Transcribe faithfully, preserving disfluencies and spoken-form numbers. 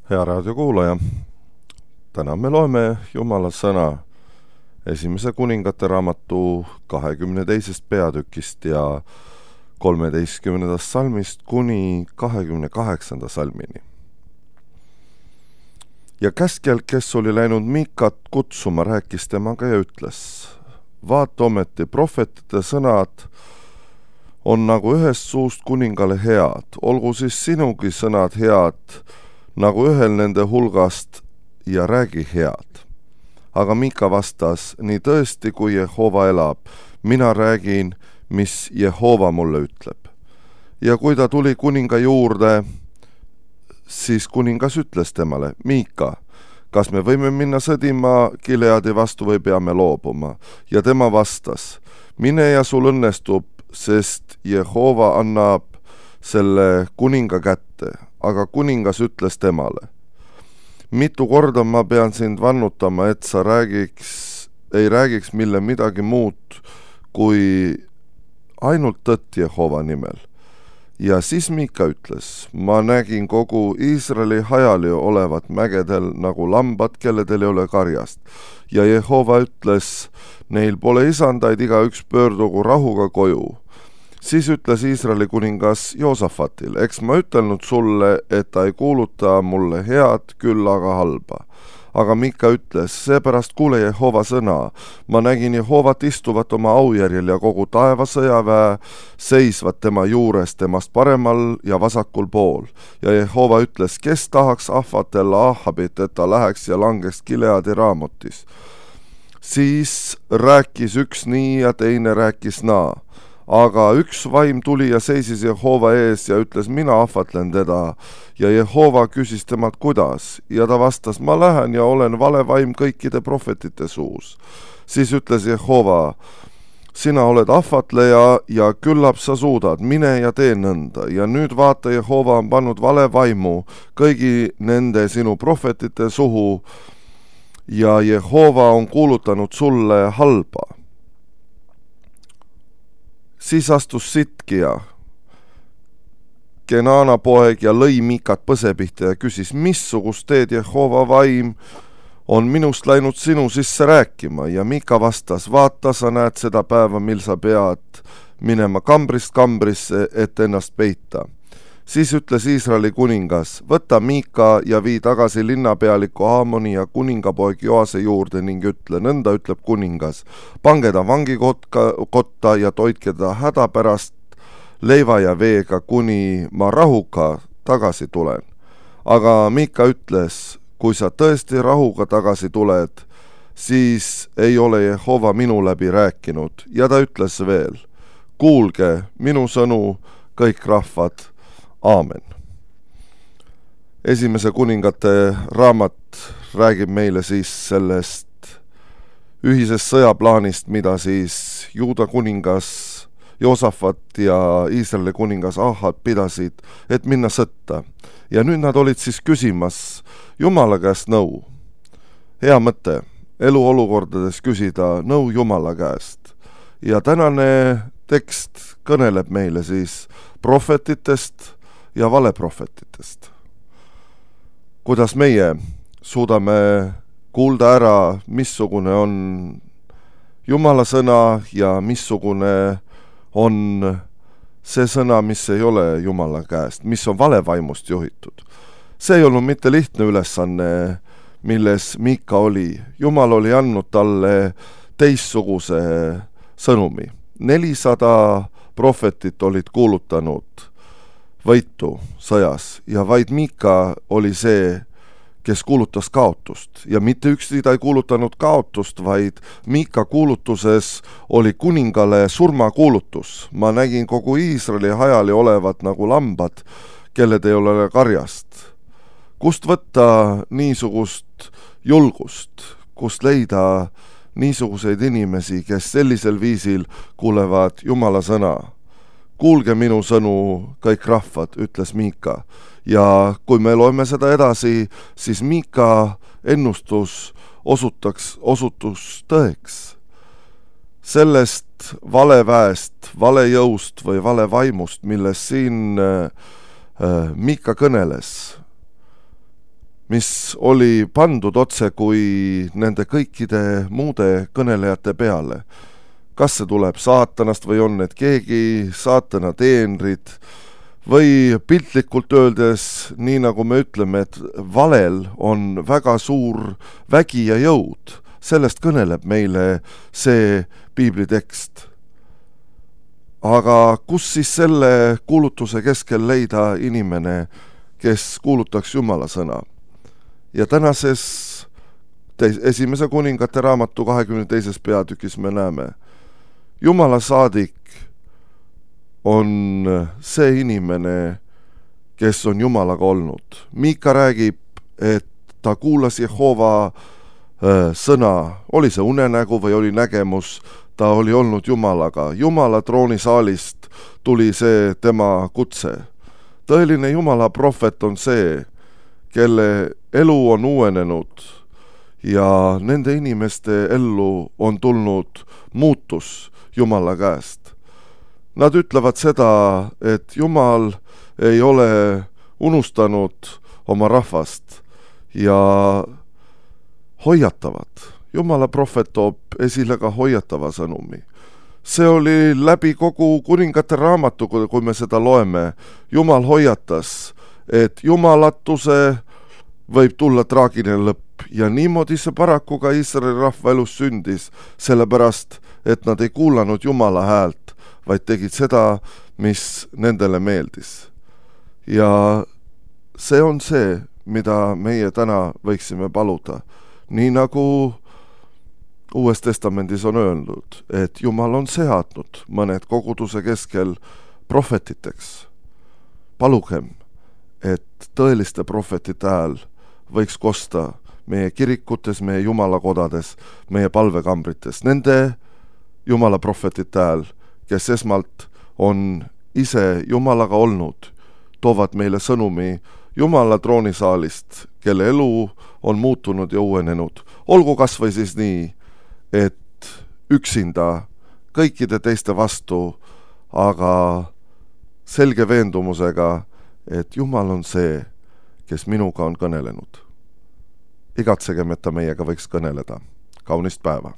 Hea raadiokuulaja, täna me loeme Jumala sõna esimese kuningate raamatu kahekümne teisest peatükist ja kolmeteistkümnendast salmist kuni kahekümne kaheksanda salmini. Ja käskjal, kes oli läinud Mikat kutsuma, rääkis temaga ja ütles: vaata ometi, prohvetite sõnad on nagu ühest suust kuningale head, olgu siis sinugi sõnad head nagu ühel nende hulgast ja räägi head. Aga Mika vastas: nii tõesti, kui Jehova elab, mina räägin, mis Jehova mulle ütleb. Ja kui ta tuli kuninga juurde, siis kuningas ütles temale: Mika, kas me võime minna sõdima Gileadi vastu või peame loobuma? Ja tema vastas: mine ja sul õnnestub, sest Jehova annab selle kuninga kätte. Aga kuningas ütles temale: mitu korda ma pean sind vannutama, et sa räägiks, ei räägiks mille midagi muud kui ainult tõtt Jehova nimel. Ja siis Mika ütles: ma nägin kogu Iisraeli hajali olevat mägedel nagu lambad, kelledel ei ole karjast. Ja Jehova ütles: neil pole isandaid, igaüks pöördugu rahuga koju. Siis ütles Iisraeli kuningas Joosafatil: eks ma ütelnud sulle, et ta ei kuuluta mulle head, küll aga halba. Aga Mika ütles: seepärast kuule Jehova sõna. Ma nägin Jehovat istuvat oma aujärjel ja kogu taeva sõjaväe seisvat tema juures, temast paremal ja vasakul pool. Ja Jehova ütles: kes tahaks ahvatella Ahabit, et ta läheks ja langeks Gileadi Raamotis? Siis rääkis üks nii ja teine rääkis naa. Aga üks vaim tuli ja seisis Jehova ees ja ütles: mina ahvatlen teda. Ja Jehova küsis temalt: kuidas? Ja ta vastas: ma lähen ja olen vale vaim kõikide prohvetite suus. Siis ütles Jehova: sina oled ahvatleja ja küllap sa suudad, mine ja tee nõnda. Ja nüüd vaata, Jehova on pannud vale vaimu kõigi nende sinu prohvetite suhu ja Jehova on kuulutanud sulle halba. Siis astus Sitkia, Kenaana poeg, ja lõi Mikat põse pihta ja küsis: missugust teed Jehova vaim on minust läinud sinu sisse rääkima? Ja Mika vastas: vaata, sa näed seda päeva, mil sa pead minema kambrist kambrisse, et ennast peita. Siis ütles Iisraeli kuningas: võta Mika ja vii tagasi linnapealiku Aamoni ja kuningapoeg Joase juurde ning ütle, nõnda ütleb kuningas: pange ta vangikotta ja toitke ta hädapärast leiva ja veega, kuni ma rahuga tagasi tulen. Aga Mika ütles: kui sa tõesti rahuga tagasi tuled, siis ei ole Jehova minu läbi rääkinud. Ja ta ütles veel: kuulge minu sõnu, kõik rahvad. Aamen. Esimese kuningate raamat räägib meile siis sellest ühisest sõjaplaanist, mida siis Juuda kuningas Joosafat ja Iisraeli kuningas Ahab pidasid, et minna sõtta. Ja nüüd nad olid siis küsimas Jumala käest nõu. Hea mõte, eluolukordades küsida nõu Jumala käest. Ja tänane tekst kõneleb meile siis prohvetitest ja valeprohvetitest. Kuidas meie suudame kuulda ära, missugune on Jumala sõna ja missugune on see sõna, mis ei ole Jumala käest, mis on valevaimust juhitud. See ei olnud mitte lihtne ülesanne, milles Mika oli. Jumal oli andnud talle teistsuguse sõnumi. nelisada prohvetit olid kuulutanud võitu sõjas ja vaid Mika oli see, kes kuulutas kaotust. Ja mitte üksi ta ei kuulutanud kaotust, vaid Mika kuulutuses oli kuningale surmakuulutus. Ma nägin kogu Iisraeli hajali olevat nagu lambad, kelled ei ole karjast. Kust võtta niisugust julgust? Kust leida niisuguseid inimesi, kes sellisel viisil kuulevad Jumala sõna? Kuulge minu sõnu, kõik rahvad, ütles Mika. Ja kui me loeme seda edasi, siis Mika ennustus osutaks, osutus tõeks. Sellest valeväest, valejõust või valevaimust, millest siin äh, Mika kõneles, mis oli pandud otse kui nende kõikide muude kõnelejate peale. Kas see tuleb saatanast või on need keegi saatana teenrid või piltlikult öeldes, nii nagu me ütleme, et valel on väga suur vägi ja jõud. Sellest kõneleb meile see piiblitekst. Aga kus siis selle kuulutuse keskel leida inimene, kes kuulutaks Jumala sõna? Ja tänases teis, esimese kuningate raamatu kahekümne teises peatükis me näeme, Jumala saadik on see inimene, kes on Jumalaga olnud. Miika räägib, et ta kuulas Jehova sõna, oli see unenägu või oli nägemus, ta oli olnud Jumalaga. Jumala troonisaalist tuli see tema kutse. Tõeline Jumala prohvet on see, kelle elu on uuenenud ja nende inimeste ellu on tulnud muutus Jumala käest. Nad ütlevad seda, et Jumal ei ole unustanud oma rahvast ja hoiatavad. Jumala prohvet toob esile ka hoiatava sõnumi. See oli läbi kogu kuningate raamatu, kui me seda loeme. Jumal hoiatas, et jumalatuse võib tulla traagiline lõpp ja niimoodi see paraku ka Iisraeli rahva elus sündis, sellepärast, et nad ei kuulanud Jumala häält, vaid tegid seda, mis nendele meeldis. Ja see on see, mida meie täna võiksime paluda. Nii nagu Uues testamendis on öelnud, et Jumal on seadnud mõned koguduse keskel prohvetiteks. Palugem, et tõeliste prohvetite hääl võiks kosta meie kirikutes, meie jumalakodades, meie palvekambrites. Nende Jumala prohvetite hääl, kes esmalt on ise Jumalaga olnud, toovad meile sõnumi Jumala troonisaalist, kelle elu on muutunud ja uuenenud. Olgu kas või siis nii, et üksinda kõikide teiste vastu, aga selge veendumusega, et Jumal on see, kes minuga on kõnelenud. Igatsegem, et ta meiega võiks kõneleda. Kaunist päeva!